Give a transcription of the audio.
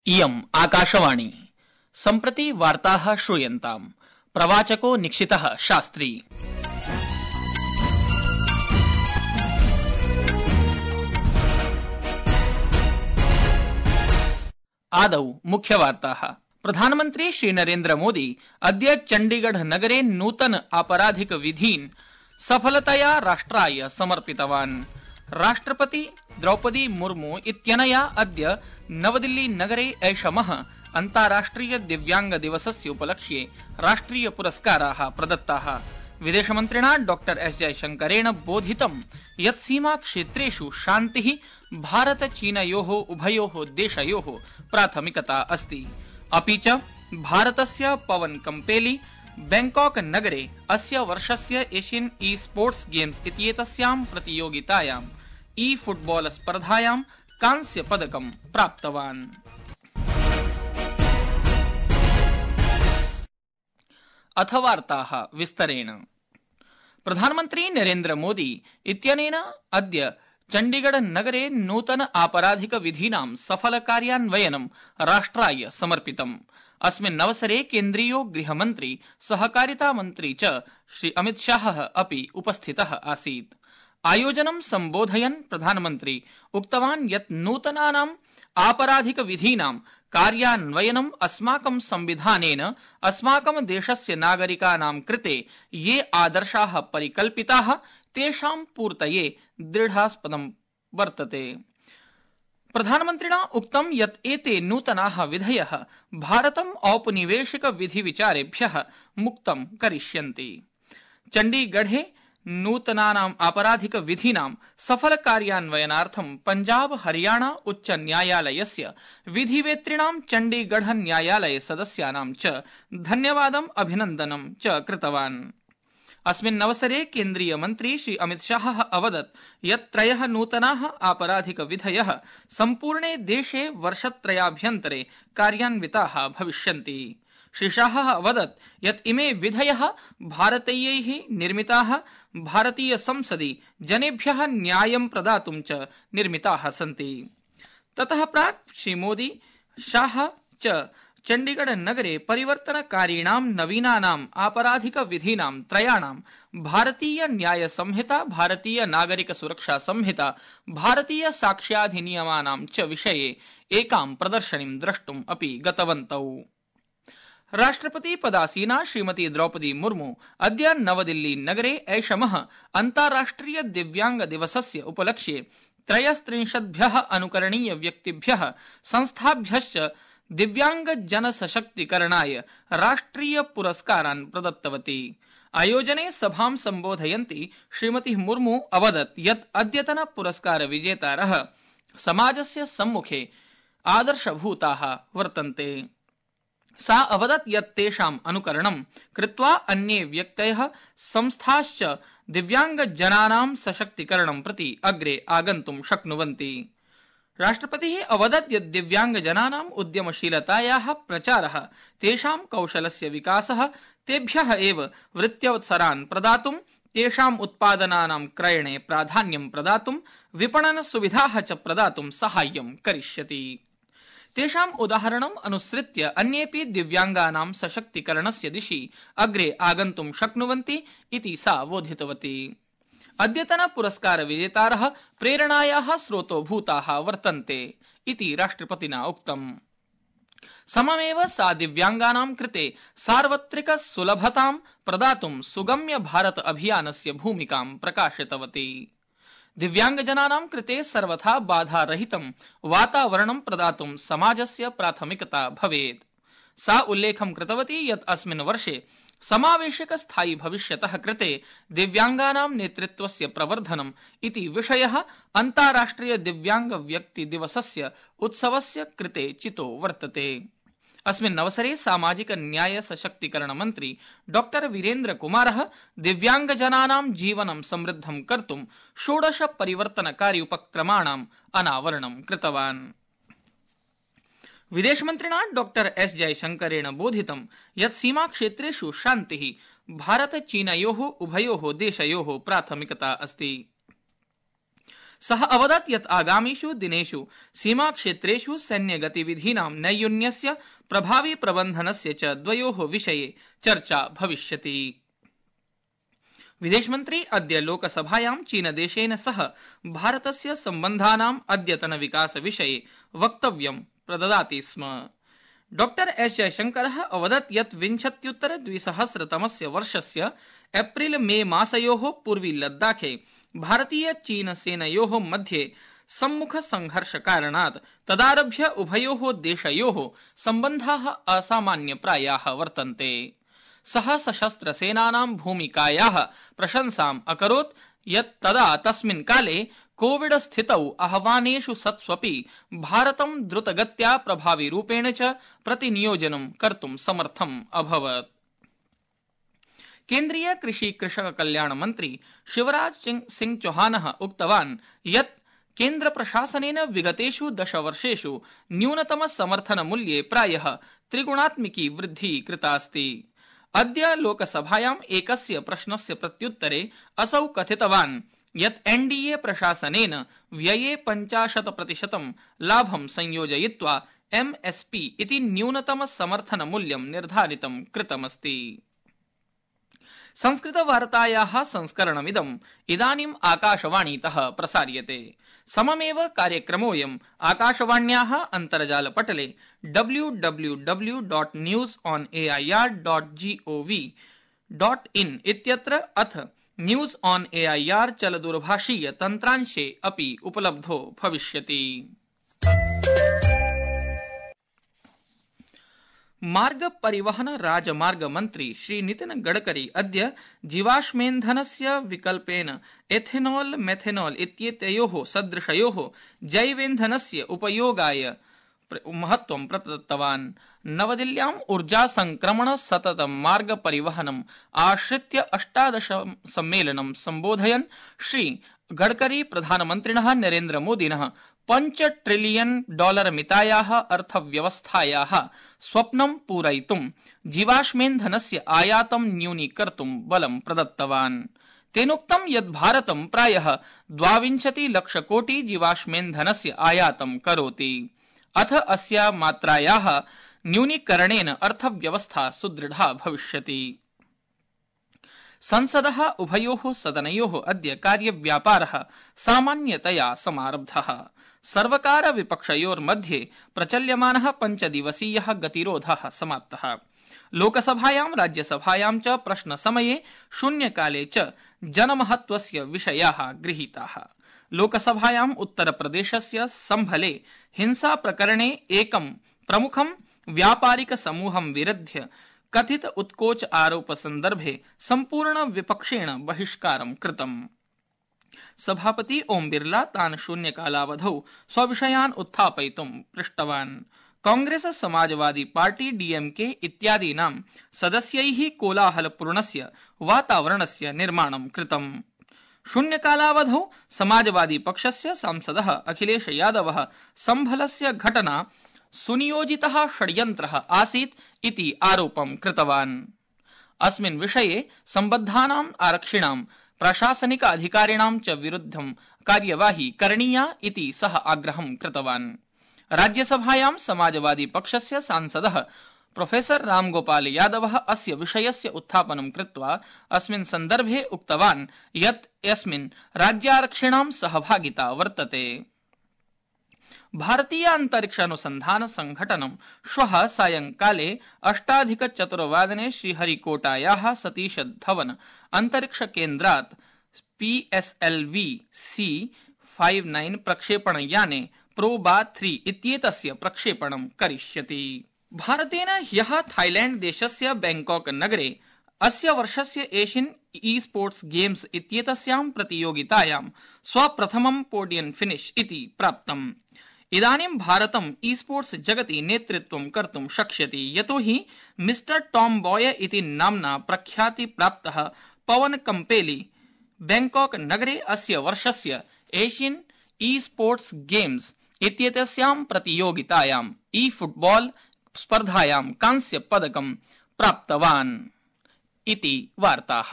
इयम् आकाशवाणी सम्प्रति वार्ताः श्रूयन्ताम्। प्रवाचको निक्षितः शास्त्री। आदौ मुख्यवार्ताः। प्रधानमन्त्री श्रीनरेन्द्र मोदी अद्य चण्डीगढ़ नगरे नूतन आपराधिक विधीन् सफलतया राष्ट्राय समर्पितवान्। राष्ट्रपति द्रौपदी मुर्मू इत्यनया अद्य नवदिल्ली नगरे ऐषमः अन्ताराष्ट्रिय दिव्यांग दिवसस्य उपलक्ष्ये राष्ट्रिय पुरस्काराः प्रदत्ताः। विदेशमन्त्रिणा डॉक्टर एस जयशंकरेण बोधितं यत् सीमा क्षेत्रेषु शान्तिः भारत चीनयोः उभयोः देशयोः प्राथमिकता अस्ति। अपि च भारतस्य पवन कम्पेली बैंकॉक नगरे अस्य वर्षस्य एशियन ई स्पोर्ट्स गेम्स इत्येतस्यां प्रतियोगितायां ई फुटबॉल स्पर्धायां कांस्य पदकं प्राप्तवान्। अथ वार्ताः विस्तरेण। प्रधानमन्त्री नरेन्द्र मोदी इत्यनेन अद्य चण्डीगढ़ नगरे नूतन आपराधिक विधीनां सफल कार्यान्वयनं राष्ट्राय समर्पितम्। अस्मिन् अवसरे केन्द्रीयो गृहमन्त्री सहकारिता मन्त्री च श्री अमितशाहः अपि उपस्थितः आसीत्। आयोजनं सम्बोधयन् प्रधानमन्त्री उक्तवान् यत् नूतनानाम् आपराधिक विधीनां कार्यान्वयनम् अस्माकं संविधानेन अस्माकं देशस्य नागरिकानां कृते ये आदर्शाः परिकल्पिताः तेषां पूर्तये दृढास्पदं वर्तते। प्रधानमन्त्रिणा उक्तं यत् एते नूतनाः विधयः भारतम् औपनिवेशिक विधिविचारेभ्यः मुक्तं करिष्यन्ति। चण्डीगढ़े नूतनानाम् आपराधिक विधीनां सफल कार्यान्वयनार्थं पंजाब हरियाणा उच्च न्यायालयस्य विधिवेत्तॄणां चण्डीगढ़ न्यायालय सदस्यानां च धन्यवादम् अभिनन्दनं च कृतवान्। अस्मिन् अवसरे केन्द्रीय मन्त्री श्री अमितशाहः अवदत् यत् त्रयः नूतनाः आपराधिक विधयः सम्पूर्णे देशे वर्षत्रयाभ्यन्तरे कार्यान्विताः भविष्यन्ति। श्री शाहः अवदत् यत् इमे विधयः भारतीयैः निर्मिताः, भारतीय संसदि जनेभ्यः न्यायं प्रदातुं च निर्मिताः सन्ति। ततः प्राक् श्री मोदी शाह च चण्डीगढ़ नगरे परिवर्तनकारीणां नवीनानाम् आपराधिक विधीनां त्रयाणां भारतीय न्याय संहिता, भारतीय नागरिक सुरक्षा संहिता, भारतीय साक्ष्याधिनियमानां च विषये एकां प्रदर्शनीं द्रष्टुम् अपि गतवन्तौ। राष्ट्रपति पदासीना श्रीमती द्रौपदी मुर्मू अद्य नवदिल्ली नगरे ऐषमः अन्ताराष्ट्रिय दिव्यांग दिवसस्य उपलक्ष्ये 33 अनुकरणीय व्यक्तिभ्यः संस्थाभ्यश्च दिव्यांग जन सशक्तिकरणाय राष्ट्रिय पुरस्कारान् प्रदत्तवती। आयोजने सभां सम्बोधयन्ती श्रीमती मुर्मू अवदत् यत् अद्यतन पुरस्कार विजेतारः समाजस्य सम्मुखे आदर्शभूताः वर्तन्ते। सा अवदत् यत् तेषाम् अनुकरणं कृत्वा अन्ये व्यक्तयः संस्थाश्च दिव्यांगजनानां सशक्तिकरणं प्रति अग्रे आगन्तुं शक्नुवन्ति। राष्ट्रपतिः अवदत् यत् दिव्यांगजनानाम् उद्यमशीलतायाः प्रचारः, तेषां कौशलस्य विकासः, तेभ्यः एव वृत्त्यवसरान् प्रदातुं, तेषाम् उत्पादनानां क्रयणे प्राधान्यं प्रदातुं, विपणन सुविधाः च प्रदातुं साहाय्यं करिष्यति। तेषाम् उदाहरणम् अनुसृत्य अन्येऽपि दिव्यांगानां सशक्तिकरणस्य दिशि अग्रे आगन्तुं शक्नुवन्ति इति सा बोधितवती। अद्यतन पुरस्कार विजेतारः प्रेरणायाः स्रोतोभूताः वर्तन्ते इति राष्ट्रपतिना उक्तम्। सममेव सा दिव्यांगानां कृते सार्वत्रिक सुलभतां प्रदातुं सुगम्य भारत अभियानस्य भूमिकां प्रकाशितवती। दिव्यांगजनानां कृते सर्वथा बाधारहितं वातावरणं प्रदातुं समाजस्य प्राथमिकता भवेत्। सा उल्लेखं कृतवती यत् अस्मिन् वर्षे समावेशक स्थायि भविष्यतः कृते दिव्यांगानां नेतृत्वस्य प्रवर्धनम् इति विषयः अन्ताराष्ट्रिय दिव्यांग व्यक्ति दिवसस्य उत्सवस्य कृते चितो वर्तते। अस्मिन् अवसरे सामाजिक न्याय सशक्तिकरण मन्त्री डॉक्टर वीरेन्द्र कुमारः दिव्यांगजनानां जीवनं समृद्धं कर्तुं 16 परिवर्तनकारी उपक्रमाणाम् अनावरणं कृतवान्। विदेशमन्त्रिणा डॉक्टर एस जयशंकरेण बोधितं यत् सीमाक्षेत्रेषु शान्तिः भारत चीनयोः उभयोः देशयोः प्राथमिकता अस्ति। सः अवदत् यत् आगामिषु दिनेषु सीमाक्षेत्रेषु सैन्यगतिविधीनां नैयून्यस्य प्रभावी प्रबन्धनस्य च द्वयोः विषये चर्चा भविष्यति। विदेशमन्त्री अद्य लोकसभायां चीनदेशेन सह भारतस्य सम्बन्धानां अद्यतन विकास विषये वक्तव्यं प्रददाति स्म। डॉ एस जयशंकरः अवदत् यत् 2020 वर्षस्य एप्रिल मे मासयोः पूर्वी लद्दाखे भारतीय चीन सेनयोः मध्ये सम्मुख संघर्ष कारणात् तदारभ्य उभयोः देशयोः सम्बन्धाः असामान्यप्रायाः वर्तन्ते। सः सशस्त्र सेनानां भूमिकायाः प्रशंसाम् अकरोत् यत् तदा तस्मिन् काले कोविड स्थितौ आह्वानेषु सत्स्वपि भारतं द्रुतगत्या प्रभाविरूपेण च प्रतिनियोजनं कर्तुं समर्थम् अभवत्। केन्द्रीय कृषि कृषक कल्याण मन्त्री शिवराज सिंह चौहानः उक्तवान् यत् केन्द्र प्रशासनेन विगतेषु 10 वर्षेषु न्यूनतम समर्थन मूल्ये प्रायः त्रिगुणात्मिकी वृद्धिः कृतास्ति। अद्य लोकसभायाम् एकस्य प्रश्नस्य प्रत्युत्तरे असौ कथितवान् यत् एनडीए प्रशासनेन व्यये 50% लाभं संयोजयित्वा एमएसपी इति न्यूनतम समर्थन मूल्यं निर्धारितं कृतमस्ति। संस्कृतवार्तायाः संस्करणमिदम् इदानीम् आकाशवाणीतः प्रसार्यते। सममेव कार्यक्रमोऽयम् आकाशवाण्याः अन्तर्जालपटले www.newsonair.gov.in इत्यत्र अथ न्यूज ऑन एआईआर चलदूरभाषीय तन्त्रांशे अपि उपलब्धो भविष्यति। मार्ग परिवहन राजमार्ग मन्त्री श्री नितिन गडकरी अद्य जीवाश्मेन्धनस्य विकल्पेन एथेनॉल मेथेनॉल इत्येतयोः सदृशयोः जैवेन्धनस्य उपयोगाय महत्वं प्रदत्तवान्। नवदिल्ल्याम् ऊर्जा संक्रमण सतत मार्ग परिवहनम् आश्रित्य 18 सम्मेलनं सम्बोधयन् श्री गडकरी प्रधानमन्त्रिणः नरेन्द्र मोदिनः $5 ट्रिलियन मितायाः अर्थव्यवस्थायाः स्वप्नं पूरयितुं जीवाश्मेन्धनस्य आयातं न्यूनीकर्तुं बलं प्रदत्तवान्। तेनोक्तं यत् भारतं प्रायः 22 लक्षकोटि जीवाश्मेन्धनस्य आयातं करोति। अथ अस्य मात्रायाः न्यूनीकरणेन अर्थव्यवस्था सुदृढा भविष्यति। संसदः उभयोः सदनयोः अद्य कार्यव्यापारः सामान्यतया समारब्धः। सर्वकार विपक्षयोर्मध्ये प्रचल्यमानः 5 दिवसीयः गतिरोधः समाप्तः। लोकसभायां राज्यसभायां च प्रश्नसमये शून्यकाले च जनमहत्वस्य विषयाः गृहीताः। लोकसभायाम् उत्तरप्रदेशस्य सम्भले हिंसा प्रकरणे एकं प्रमुखं व्यापारिक समूहं विरुध्य कथित उत्कोच आरोप सन्दर्भे सम्पूर्ण विपक्षेण बहिष्कारं कृतम्। सभापति ओम बिरला तान् शून्यकालावधौ स्वविषयान् उत्थापयितुं पृष्टवान्। कांग्रेस समाजवादी पार्टी डीएमके इत्यादीनां सदस्यैः कोलाहलपूर्णस्य वातावरणस्य निर्माणं कृतम्। शून्यकालावधौ समाजवादी पक्षस्य सांसदः अखिलेश यादवः सम्भलस्य घटना सुनियोजितः षड्यन्त्रः आसीत् इति आरोपं कृतवान्। अस्मिन् विषये सम्बद्धानां आरक्षिणां प्रशासनिक अधिकारिणां च विरुद्धं कार्यवाही करणीया इति सः आग्रहं कृतवान्। राज्यसभायां समाजवादी पक्षस्य सांसदः प्रोफेसर रामगोपाल यादवः अस्य विषयस्य उत्थापनं कृत्वा अस्मिन् सन्दर्भे उक्तवान् यत् अस्मिन् राज्यारक्षिणां सहभागिता वर्तते। भारतीय अंतरिक्षानुसंधान संघटनं श्वः सायंकाले 8:04 श्रीहरिकोटायाः सतीश धवन अंतरिक्ष केन्द्रात् PSLV-C59 प्रक्षेपणयाने प्रोबा-3 इत्येतस्य प्रक्षेपणं करिष्यति। भारतेन ह्यः थाईलैंड देशस्य बैंकॉक नगरे अस्य वर्षस्य एशियन ई-स्पोर्ट्स गेम्स इत्येतस्यां प्रतियोगितायां स्वप्रथमं पोडियम फिनिश इति प्राप्तम्। इदानीं भारतं ई-स्पोर्ट्स जगति नेतृत्वं कर्तुं शक्ष्यति, यतोहि मिस्टर टॉम बॉय इति नाम्ना प्रख्याति प्राप्तः पवन कम्पेली बैंकॉक नगरे अस्य वर्षस्य एशियन ई-स्पोर्ट्स गेम्स इत्येतस्यां प्रतियोगितायां ई-फुटबॉल स्पर्धायां कांस्य पदकं प्राप्तवान् इति वार्ताः।